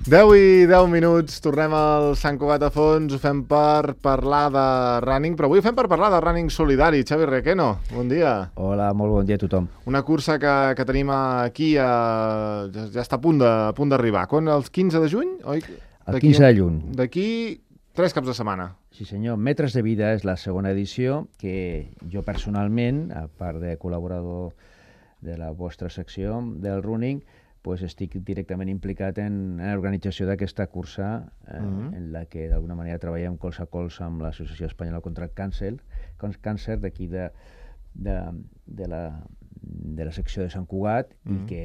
Deu i 10 minuts, tornem al Sant Cugat a fons, ho fem per parlar de running, però avui ho fem per parlar de running solidari. Xavi Requeno, bon dia. Hola, molt bon dia a tothom. Una cursa que tenim aquí, ja està a punt d'arribar. Quan? El 15 de juny? Oi? El 15 de juny. D'aquí 3 caps de setmana. Sí senyor, Metres de Vida és la segona edició que jo personalment, a part de col·laborador de la vostra secció del running, pues estic directament implicat en l'organització d'aquesta cursa en la que d'alguna manera treballem colze a colze amb l'Associació Espanyola contra el Càncer d'aquí de la secció de Sant Cugat i que...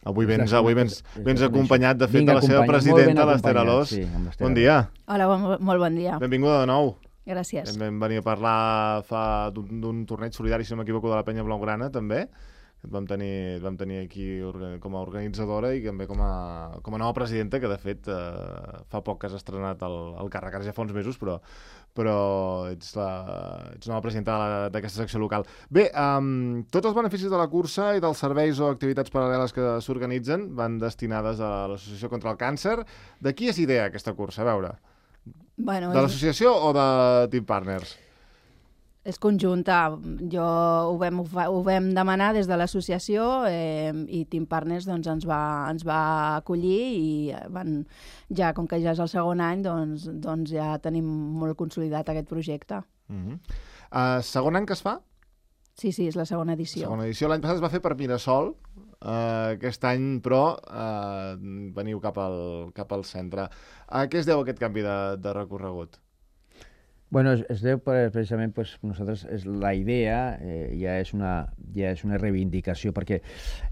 Avui vens acompanyat, de fet, de la seva presidenta, l'Ester Alòs. Sí, bon dia. Hola, molt bon dia. Benvinguda de nou. Gràcies. Vam venir a parlar d'un torneig solidari, si no m'equivoco, de la Penya Blaugrana, també. Et vam tenir aquí com a organitzadora i també com a nova presidenta, que de fet fa poc que has estrenat el càrrec, ara ja fa uns mesos, però ets nova presidenta d'aquesta secció local. Bé, tots els beneficis de la cursa i dels serveis o activitats paral·leles que s'organitzen van destinades a l'Associació contra el Càncer. De qui és idea aquesta cursa? A veure, bueno, de l'associació o de Team Partners? És conjunta. Ho vam demanar des de l'associació i Team Partners doncs, ens va acollir i com que ja és el segon any, doncs ja tenim molt consolidat aquest projecte. Segon any que es fa? Sí, és la segona edició. L'any passat es va fer per Mirasol, aquest any, però veniu cap al centre. A què es deu aquest canvi de recorregut? Bueno, es deu precisament, nosaltres, la idea ja és una reivindicació, perquè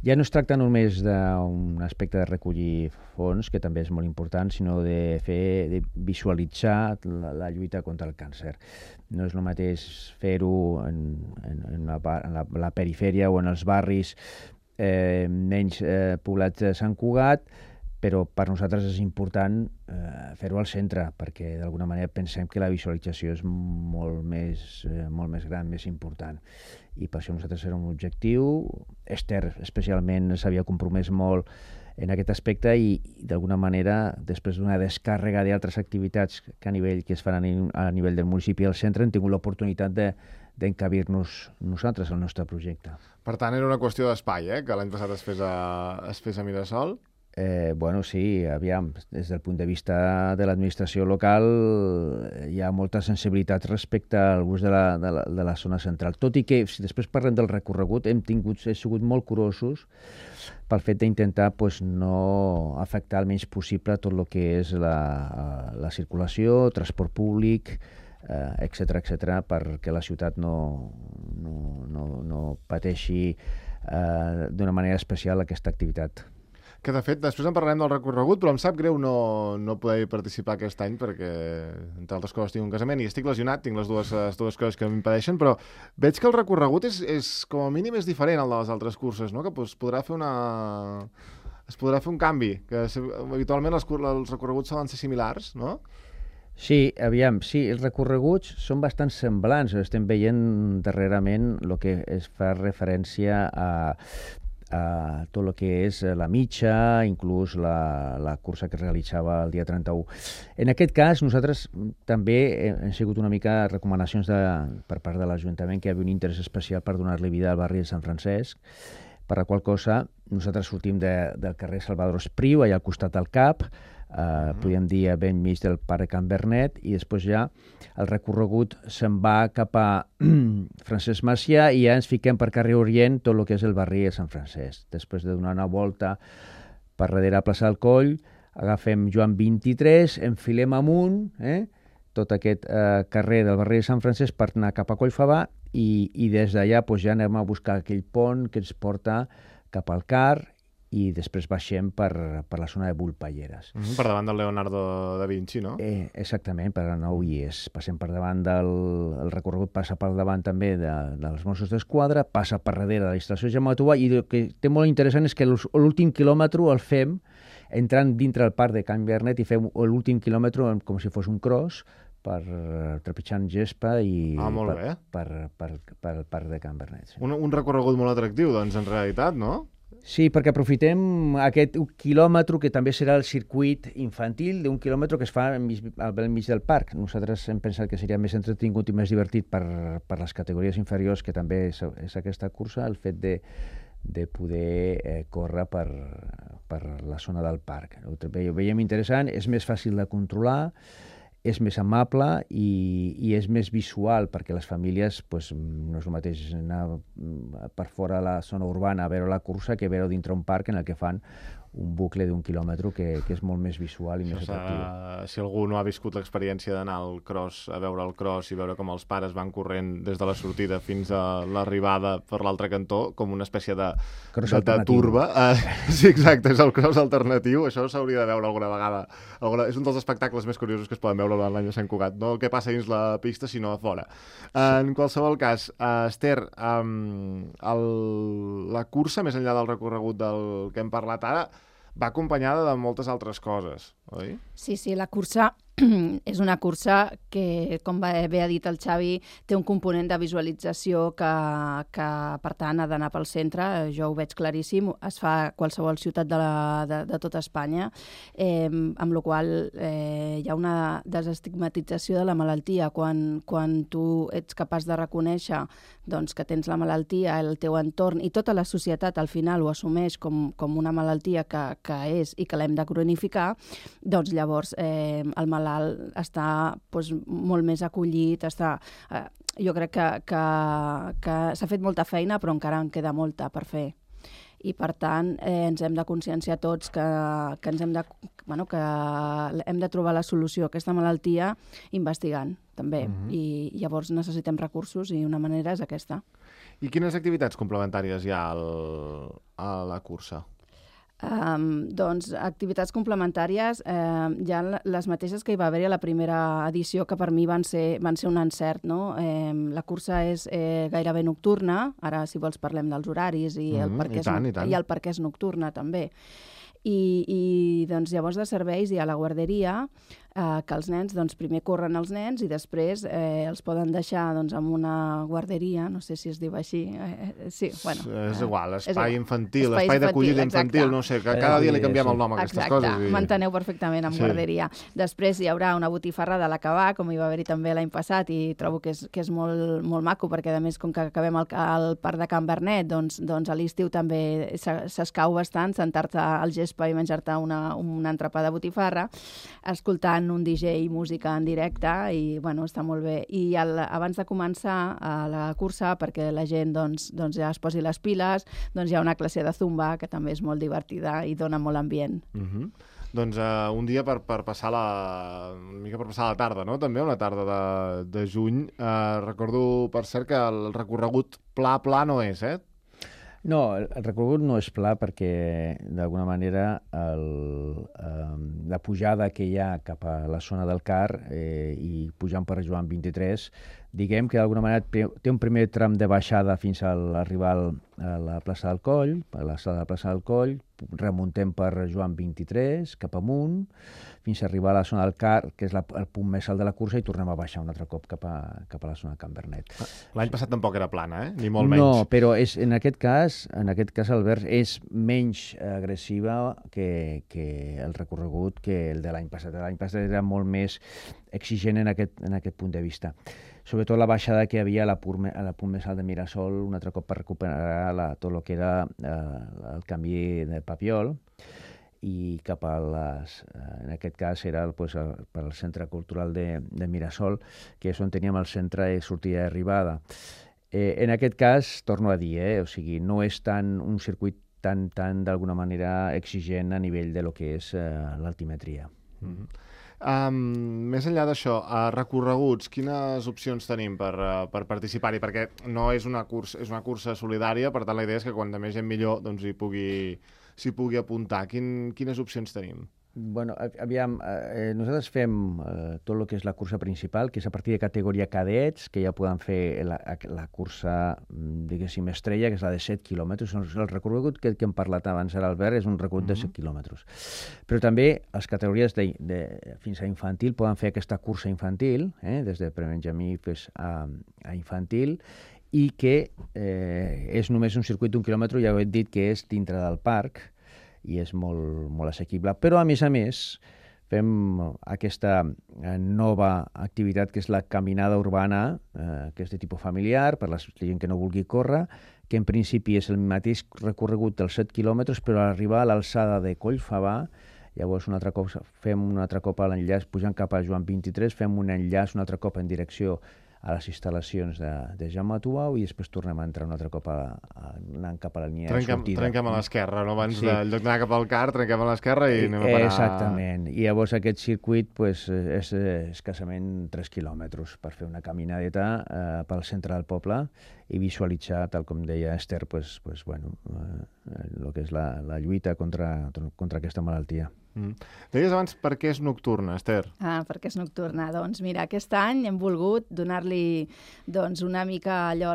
ja no es tracta només d'un aspecte de recollir fons, que també és molt important, sinó de visualitzar la lluita contra el càncer. No és el mateix fer-ho en la perifèria o en els barris menys poblats de Sant Cugat, però per nosaltres és important fer-ho al centre, perquè d'alguna manera pensem que la visualització és molt més gran, més important. I per això nosaltres era un objectiu. Esther especialment s'havia compromès molt en aquest aspecte i d'alguna manera, després d'una descàrrega d'altres activitats que es fan a nivell del municipi i al centre, hem tingut l'oportunitat d'encabir-nos nosaltres al nostre projecte. Per tant, era una qüestió d'espai, que l'any passat es fes a Mirasol? Bueno, sí, aviam, des del punt de vista de l'administració local hi ha molta sensibilitat respecte al gust de la zona central. Tot i que, si després parlem del recorregut, hem sigut molt curosos pel fet d'intentar no afectar el menys possible tot el que és la circulació, transport públic, etcètera, perquè la ciutat no pateixi d'una manera especial aquesta activitat. Que, de fet, després en parlarem del recorregut, però em sap greu no poder participar aquest any perquè, entre altres coses, tinc un casament i estic lesionat, tinc les dues coses que m'impedeixen, però veig que el recorregut és com a mínim és diferent al de les altres curses, no? Que es podrà fer un canvi, que habitualment els recorreguts solen ser similars, no? Sí, aviam, sí, els recorreguts són bastant semblants, estem veient darrerament el que es fa referència a tot el que és la mitja, inclús la cursa que es realitzava el dia 31. En aquest cas, nosaltres també hem sigut una mica recomanacions per part de l'Ajuntament que hi havia un interès especial per donar-li vida al barri de Sant Francesc, per la qual cosa nosaltres sortim del carrer Salvador Espriu, allà al costat del CAP, podríem dir a ben mig del Parc Can Bernet, i després ja el recorregut se'n va cap a Francesc Macià i ja ens fiquem per carrer Orient tot el que és el barri de Sant Francesc. Després de donar una volta per darrere a plaça del Coll, agafem Joan 23, enfilem amunt, tot aquest carrer del barri de Sant Francesc per anar cap a Collfabà i des d'allà ja anem a buscar aquell pont que ens porta cap al CAR i després baixem per la zona de Bull-Palleres. Per davant del Leonardo da Vinci, no? Exactament, per la 9 IES. Passem per davant el recorregut, passa per davant també dels Mossos d'Esquadra, passa per darrere de la instal·lació Jaume Tubà, i el que té molt interessant és que l'últim quilòmetre el fem entrant dintre el parc de Can Bernet i fer l'últim quilòmetre com si fos un cross per trepitjant gespa i molt bé. per el parc de Can Bernet. Sí. Un recorregut molt atractiu, doncs, en realitat, no? Sí, perquè aprofitem aquest quilòmetre que també serà el circuit infantil d'un quilòmetre que es fa al bell mig del parc. Nosaltres hem pensat que seria més entretingut i més divertit per les categories inferiors, que també és aquesta cursa, el fet de poder córrer per la zona del parc. Ho veiem interessant, és més fàcil de controlar, és més amable i és més visual, perquè les famílies no és el mateix anar per fora de la zona urbana a veure la cursa que veure dintre un parc en el que fan un bucle d'un quilòmetre que és molt més visual i més atractiu. Si algú no ha viscut l'experiència d'anar al cross, a veure el cross i veure com els pares van corrent des de la sortida fins a l'arribada per l'altre cantó, com una espècie de turba. Sí, exacte, és el cross alternatiu. Això s'hauria de veure alguna vegada. És un dels espectacles més curiosos que es poden veure durant l'any de Sant Cugat. No el que passa dins la pista, sinó a fora. En qualsevol cas, Esther, la cursa, més enllà del recorregut del que hem parlat ara, va acompanyada de moltes altres coses, oi? Sí, la cursa és una cursa que, com bé ha dit el Xavi, té un component de visualització que per tant, ha d'anar pel centre. Jo ho veig claríssim. Es fa a qualsevol ciutat de tota Espanya, amb la qual hi ha una desestigmatització de la malaltia. Quan tu ets capaç de reconèixer doncs, que tens la malaltia, el teu entorn, i tota la societat al final ho assumeix com una malaltia que és i que l'hem de cronificar, doncs llavors el malalt està molt més acollit, jo crec que s'ha fet molta feina, però encara en queda molta per fer. I, per tant, ens hem de conscienciar tots que hem de trobar la solució a aquesta malaltia investigant, també. I llavors necessitem recursos i una manera és aquesta. I quines activitats complementàries hi ha a la cursa? Doncs activitats complementàries hi ha les mateixes que hi va haver a la primera edició, que per mi van ser un encert, no? La cursa és gairebé nocturna. Ara, si vols, parlem dels horaris i el per què és nocturna, també. I doncs, llavors de serveis hi ha la guarderia, que els nens, doncs, primer corren els nens i després els poden deixar amb una guarderia, no sé si es diu així. Sí, bueno. És igual, espai infantil, espai d'acollida infantil, no sé, que cada dia li canviem el nom a aquestes coses. Exacte, m'enteneu perfectament amb guarderia. Després hi haurà una botifarra de l'acabar, com hi va haver-hi també l'any passat, i trobo que és molt, molt maco, perquè a més, com que acabem al parc de Can Bernet, doncs a l'estiu també s'escau bastant sentar-te al gespa i menjar-te un entrepà de botifarra, escoltant un DJ i música en directe, i bueno, està molt bé. I abans de començar la cursa, perquè la gent doncs ja es posi les piles, doncs hi ha una classe de zumba que també és molt divertida i dona molt ambient. Doncs un dia per passar una mica per passar la tarda, no? També una tarda de juny. Recordo, per cert, que el recorregut pla no és, No, el recorregut no és pla perquè, d'alguna manera, la pujada que hi ha cap a la zona del CAR i pujant per Joan 23, diguem que d'alguna manera té un primer tram de baixada fins a arribar a la plaça del Coll, a l'alçada de la plaça del Coll, remuntem per Joan 23, cap amunt, fins a arribar a la zona del CAR, que és el punt més alt de la cursa, i tornem a baixar un altre cop cap a la zona de Can Bernet. L'any passat tampoc era plana, ni molt menys. No, però en aquest cas, Albert, és menys agressiva que el recorregut que el de l'any passat. L'any passat era molt més exigent en aquest punt de vista. Sobretot la baixada que hi havia a la punt més alt de Mirasol, un altre cop per recuperar tot el que era el canvi de Papiol, i cap a en aquest cas era per al Centre Cultural de Mirasol, que és on teníem el centre de sortida i arribada. En aquest cas, torno a dir, o sigui, no és un circuit tan d'alguna manera exigent a nivell de lo que és l'altimetria. Més enllà d'això, recorreguts, quines opcions tenim per participar-hi? Perquè no és una cursa solidària, per tant la idea és que quan més gent millor s'hi pugui apuntar. Quines opcions tenim? Bueno, aviam, nosaltres fem tot el que és la cursa principal, que és a partir de categoria cadets, que ja poden fer la cursa, diguéssim, estrella, que és la de 7 quilòmetres. El recorregut que hem parlat abans, ara, Albert, és un recorregut de 7 quilòmetres. Però també les categories fins a infantil poden fer aquesta cursa infantil, des de prebenjamí fins a infantil, i que és només un circuit d'1 quilòmetre, ja ho he dit que és dintre del parc, i és molt, molt assequible. Però, a més, fem aquesta nova activitat que és la caminada urbana, que és de tipus familiar, per la gent que no vulgui córrer, que en principi és el mateix recorregut dels 7 quilòmetres, però a arribar a l'alçada de Collfabà, llavors fem un altre cop l'enllaç, pujant cap a Joan 23, fem un enllaç un altre cop en direcció a les instal·lacions de Jaume Tubau i després tornem a entrar un altre cop anant cap a la línia de sortida. Trenquem a l'esquerra, no? Abans del lloc d'anar cap al car, trenquem a l'esquerra i anem a parar... Exactament. I llavors aquest circuit és escassament 3 quilòmetres per fer una caminadeta pel centre del poble i visualitzar, tal com deia Esther, el que és la lluita contra aquesta malaltia. Deies abans per què és nocturna, Esther? Per què és nocturna? Doncs mira, aquest any hem volgut donar-li una mica allò,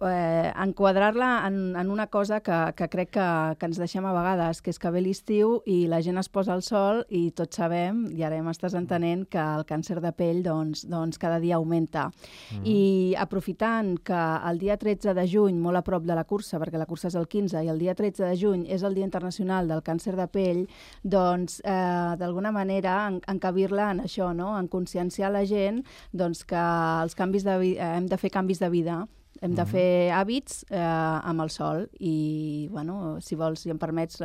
enquadrar-la en una cosa que crec que ens deixem a vegades, que és que ve l'estiu i la gent es posa al sol i tots sabem, i ara ja m'estàs entenent, que el càncer de pell doncs cada dia augmenta. I aprofitant que el dia 13 de juny, molt a prop de la cursa, perquè la cursa és el 15, i el dia 13 de juny és el Dia Internacional del Càncer de Pell, doncs d'alguna manera encabir-la en això, no? En conscienciar la gent que hem de fer canvis de vida, hem de fer hàbits amb el sol i, si vols, si em permets,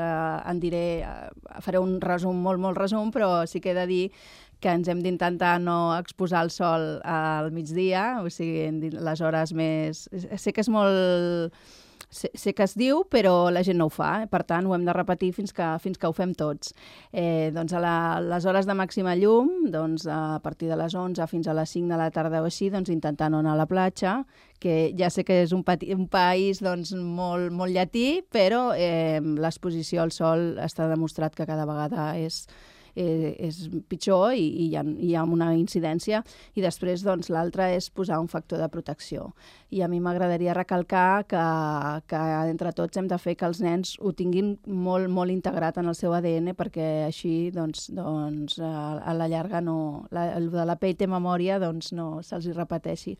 faré un resum, molt resum, però sí que he de dir que ens hem d'intentar no exposar el sol al migdia, o sigui, les hores més... Sé que és molt... Sé que es diu, però la gent no ho fa, per tant ho hem de repetir fins que ho fem tots. Doncs a les hores de màxima llum, a partir de les 11 fins a les 5 de la tarda o així, intentar no anar a la platja, que ja sé que és un país molt llatí, però l'exposició al sol està demostrat que cada vegada és pitjor i hi ha una incidència. I després l'altre és posar un factor de protecció. I a mi m'agradaria recalcar que entre tots hem de fer que els nens ho tinguin molt integrat en el seu ADN, perquè així a la llarga el de la pell té memòria no se'ls hi repeteixi.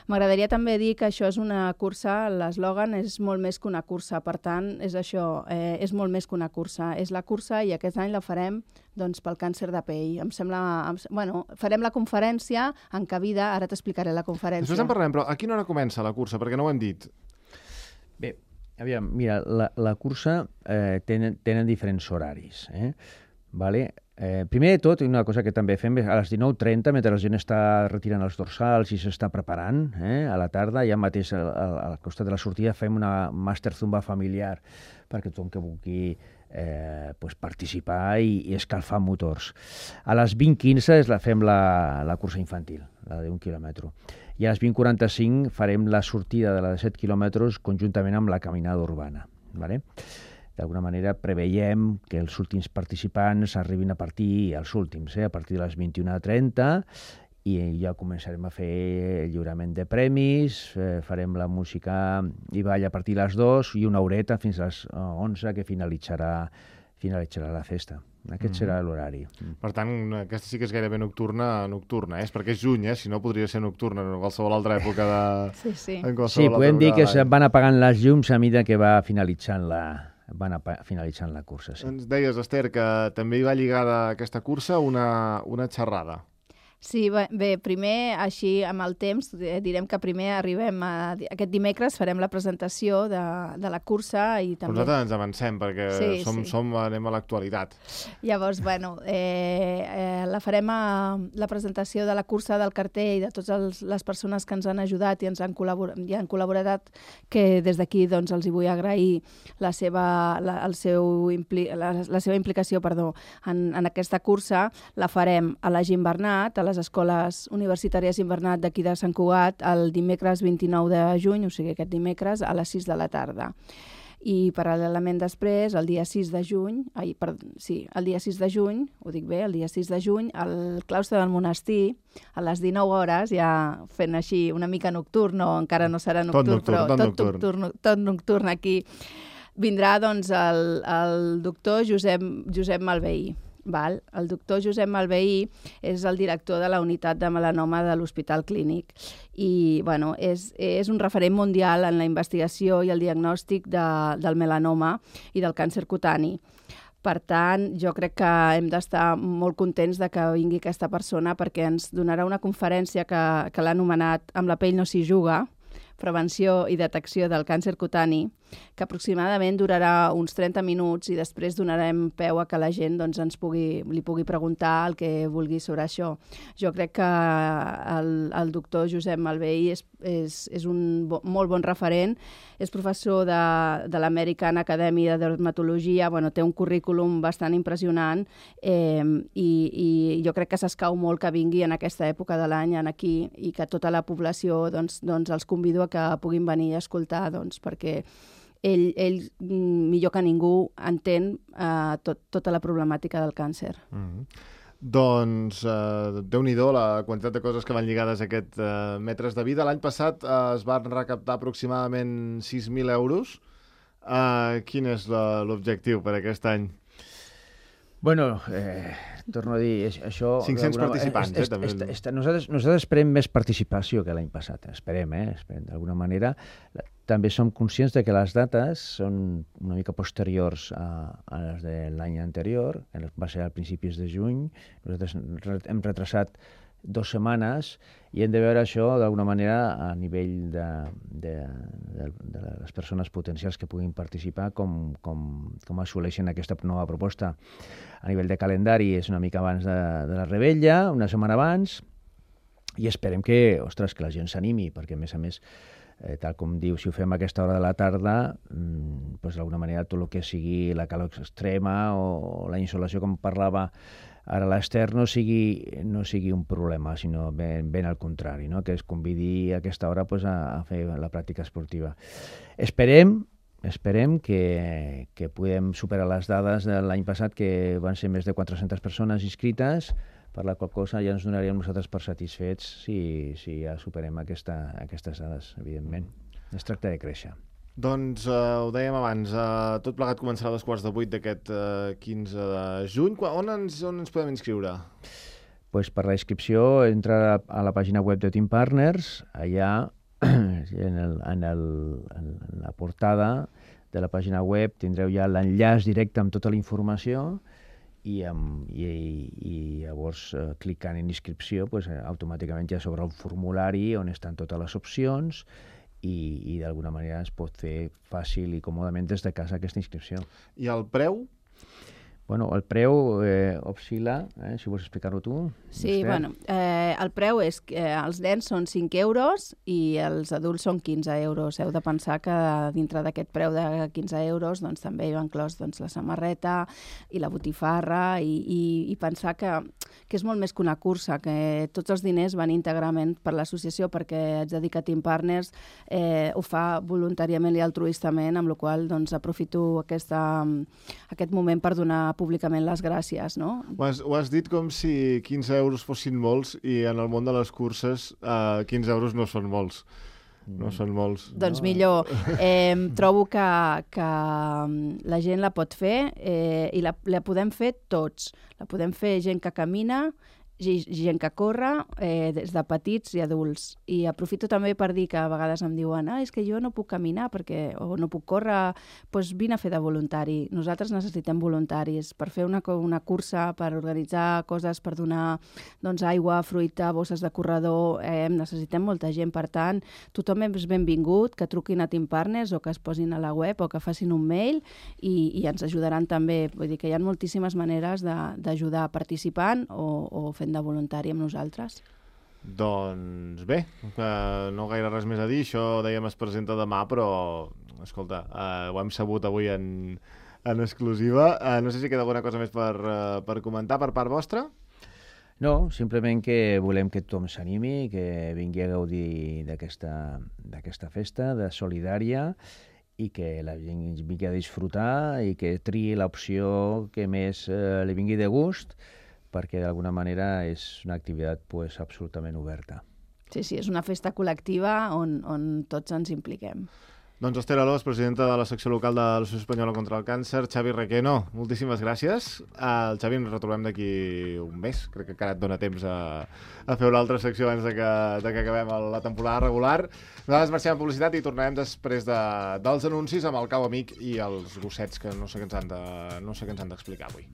M'agradaria també dir que això és una cursa, l'eslògan és molt més que una cursa, per tant, és això, és molt més que una cursa. És la cursa i aquest any la farem pel càncer de pell. Em sembla... farem la conferència encabida, ara t'explicaré la conferència. Després en parlem, però a quina hora comença la cursa? Perquè no ho hem dit. Bé, aviam, mira, la cursa tenen diferents horaris, vale? Primer de tot, una cosa que també fem a les 19:30, mentre la gent està retirant els dorsals i s'està preparant, a la tarda, ja mateix al costat de la sortida fem una Master Zumba familiar perquè tothom que vulgui participar i escalfar motors. A les 20:15 fem la cursa infantil, la d'1 quilòmetre. I a les 20:45 farem la sortida de la de 7 quilòmetres conjuntament amb la caminada urbana. Vale? D'alguna manera preveiem que els últims participants arribin a partir de les 21:30 i ja començarem a fer el lliurament de premis, farem la música i ball a partir de les 2 i una horeta fins a les 11 que finalitzarà la festa. Aquest serà l'horari. Per tant, aquesta sí que és gairebé nocturna, és perquè és juny, si no podria ser nocturna en qualsevol altra època de... Sí, podem dir que es van apagant les llums a mesura que va finalitzant la cursa. Sí. Ens deies, Esther, que també hi va lligada a aquesta cursa una xerrada. Sí, bé, primer, així amb el temps, direm que primer arribem aquest dimecres, farem la presentació de la cursa i també... Nosaltres ens avancem perquè anem a l'actualitat. Llavors, la farem la presentació de la cursa, del cartell i de totes les persones que ens han ajudat i ens han col·laborat, que des d'aquí els hi vull agrair la seva implicació en aquesta cursa. La farem a la Gim Bernat, a les escoles universitàries Invernat d'aquí de Sant Cugat el dimecres 29 de juny, o sigui aquest dimecres, a les 6 de la tarda. I paral·lelament després, el dia 6 de juny, el dia 6 de juny, ho dic bé, el dia 6 de juny, al claustre del monestir, a les 19 hores, ja fent així una mica nocturn, o encara no serà nocturn, tot nocturn aquí, vindrà doncs el doctor Josep Malveí. Val? El doctor Josep Malveí és el director de la unitat de melanoma de l'Hospital Clínic i bueno, és un referent mundial en la investigació i el diagnòstic del melanoma i del càncer cutani. Per tant, jo crec que hem d'estar molt contents de que vingui aquesta persona perquè ens donarà una conferència que l'ha anomenat Amb la pell no s'hi juga, prevenció i detecció del càncer cutani, que aproximadament durarà uns 30 minuts i després donarem peu a que la gent doncs, li pugui preguntar el que vulgui sobre això. Jo crec que el doctor Josep Malveí és un molt bon referent, és professor de l'American Academy de Dermatologia, bueno, té un currículum bastant impressionant i jo crec que s'escau molt que vingui en aquesta època de l'any aquí i que tota la població doncs, els convido a que puguin venir a escoltar perquè ell millor que ningú entén tota la problemàtica del càncer. Doncs Déu-n'hi-do la quantitat de coses que van lligades a aquest metres de vida. L'any passat es van recaptar aproximadament 6.000 euros. Quin és l'objectiu per aquest any? Bueno, torno a dir, això... 500 participants, també. Nosaltres esperem més participació que l'any passat, esperem, d'alguna manera. També som conscients de que les dates són una mica posteriors a les de l'any anterior, que va ser a principis de juny. Nosaltres hem retrasat 2 setmanes i hem de veure això d'alguna manera a nivell de les persones potencials que puguin participar, com assoleixen aquesta nova proposta. A nivell de calendari és una mica abans de la revetlla, una setmana abans, i esperem que la gent s'animi, perquè a més, tal com diu, si ho fem a aquesta hora de la tarda, doncs d'alguna manera tot el que sigui la calor extrema o la insolació, com parlava ara l'Ester, no sigui un problema, sinó ben al contrari, no? Que es convidi a aquesta hora a fer la pràctica esportiva. Esperem que puguem superar les dades de l'any passat, que van ser més de 400 persones inscrites, per la qual cosa ja ens donaríem nosaltres per satisfets si ja superem aquestes dades, evidentment. Es tracta de créixer. Doncs ho dèiem abans, tot plegat començarà a les 7:15 d'aquest 15 de juny. On ens podem inscriure? Pues per la inscripció entra a la pàgina web de Team Partners, allà en la portada de la pàgina web tindreu ja l'enllaç directe amb tota la informació i llavors clicant en inscripció automàticament ja s'obre un formulari on estan totes les opcions i d'alguna manera es pot fer fàcil i còmodament des de casa aquesta inscripció. I el preu? Bueno, el preu oscil·la, si vols explicar-ho tu. Sí, bueno, el preu és que els nens són 5 euros i els adults són 15 euros. Heu de pensar que dintre d'aquest preu de 15 euros doncs, també hi va inclòs la samarreta i la botifarra i pensar que és molt més que una cursa, que tots els diners van íntegrament per l'associació perquè ets dedicat a Team Partners, ho fa voluntàriament i altruistament, amb la qual cosa aprofito aquest moment per donar públicament les gràcies, no? Ho has dit com si 15 euros fossin molts i en el món de les curses 15 euros no són molts. No són molts. Doncs millor. Trobo que la gent la pot fer i la podem fer tots. La podem fer gent que camina, gent que corre, des de petits i adults. I aprofito també per dir que a vegades em diuen és que jo no puc caminar o no puc córrer, doncs vine a fer de voluntari. Nosaltres necessitem voluntaris per fer una cursa, per organitzar coses, per donar aigua, fruita, bosses de corredor. Necessitem molta gent. Per tant, tothom és benvingut, que truquin a Team Partners o que es posin a la web o que facin un mail i ens ajudaran també. Vull dir que hi ha moltíssimes maneres d'ajudar participant o fent de voluntari amb nosaltres. Doncs bé, no gaire res més a dir, això dèiem es presenta demà, però escolta, ho hem sabut avui en exclusiva. No sé si queda alguna cosa més per comentar per part vostra. No, simplement que volem que tothom s'animi, que vingui a gaudir d'aquesta festa de solidària i que la gent vingui a disfrutar i que triï l'opció que més li vingui de gust, perquè d'alguna manera és una activitat pues, absolutament oberta. Sí, és una festa col·lectiva on tots ens impliquem. Doncs Esther Alòs, presidenta de la secció local de l'Associació Espanyola contra el Càncer, Xavi Requeno, moltíssimes gràcies. El Xavi ens retrobem d'aquí un mes, crec que encara et dona temps a fer una altra secció abans de que acabem la temporada regular. Nosaltres marxem a publicitat i tornarem després dels anuncis amb el Cau Amic i els gossets que no sé què ens han d'explicar avui.